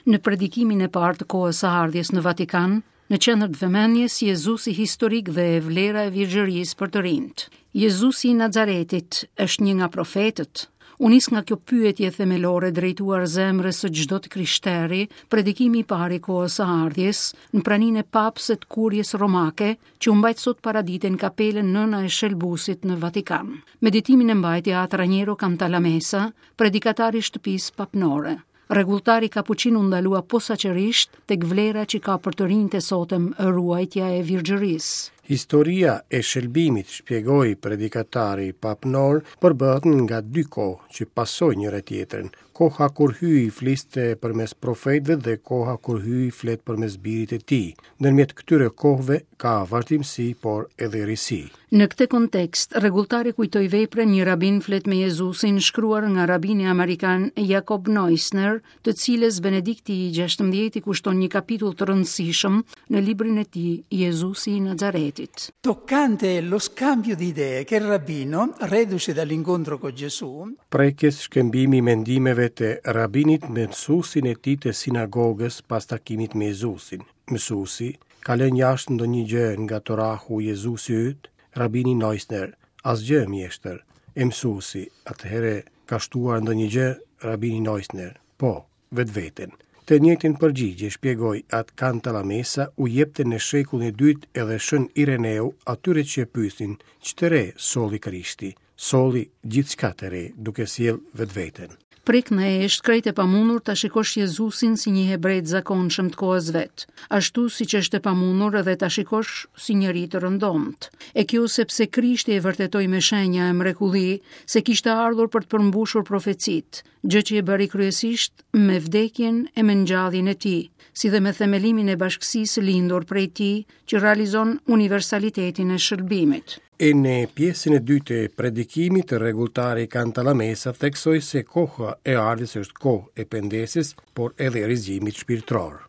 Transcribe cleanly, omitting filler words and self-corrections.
Në predikimin e parë të kohës së ardhjes në Vatikan, në qendër të vëmendjes Jezusi historik dhe vlera e virgjërisë për të rinjtë. Jezusi i Nazaretit është një nga profetët. U nis nga kjo pyetje themelore drejtuar zemrës së çdo të krishteri, predikimi i parë i kohës së ardhjes, në praninë e papës e të kuries romake, që u mbajt sot paradite në kapelën Nëna e Shëlbuesit në Vatikan. Meditimin e mbajti At Raniero Cantalamessa, predikatar i shtëpisë papnore. Rregulltari kapuçin u ndalua posaçërisht tek vlera që ka për të rinjtë e sotëm ruajtja e virgjërisë. Historia e shëlbimit, shpjegoi predikatari papnor, përbëhet nga dy kohë që pasojnë njëra-tjetrën, koha kur Hyji fliste përmes profetëve dhe koha kur Hyji flet përmes Birit të Tij. Ndërmjet këtyre kohëve ka vazhdimësi, por edhe risi. Në këtë kontekst, rregulltari kujtoi veprën Një rabin flet me Jezusin, shkruar nga rabini amerikan Jacob Neusner, të cilës Benedikti i XVI i kushton një kapitull të rëndësishëm në librin e tij Jezusi i Nazaretit. Toccante lo scambio di idee che il rabbino, reduce dall'incontro con Gesù, Prekës shkëmbimi i mendimeve të rabinit me mësuesin e tij të sinagogës pas takimit me Jezusin. Mësuesi, Ka lënë jashtë ndonjë gjë nga Torahu Jezusi yt? Rabini Neusner, Asgjë, mjeshtër. E mësuesi, Atëherë ka shtuar ndonjë gjë? Rabini Neusner, Po, vetveten. Të njëjtën përgjigje, shpjegoi At Cantalamessa, u jepte në shekullin e dytë edhe Shën Ireneu atyre që e pyesnin, ç'të re solli Krishti? Solli gjithçka të re, duke sjellë vetveten. Prej këndej është krejt e pamundur ta shikosh Jezusin si një hebre të zakonshëm të kohës vet, ashtu siç është e pamundur edhe ta shikosh si njeri të rëndomtë. E kjo sepse Krishti e vërtetoi me shenja e mrekulli se kishte ardhur për të përmbushur profecitë, gjë që e bëri kryesisht me vdekjen e me ngjalljen e tij, si dhe me themelimin e bashkësisë së lindur prej tij që realizon universalitetin e shëlbimit. E në pjesën e dytë të predikimit, rregulltari Cantalamessa theksoi se koha e ardhjes është kohë e pendesës, por edhe e rizgjimit shpirtëror.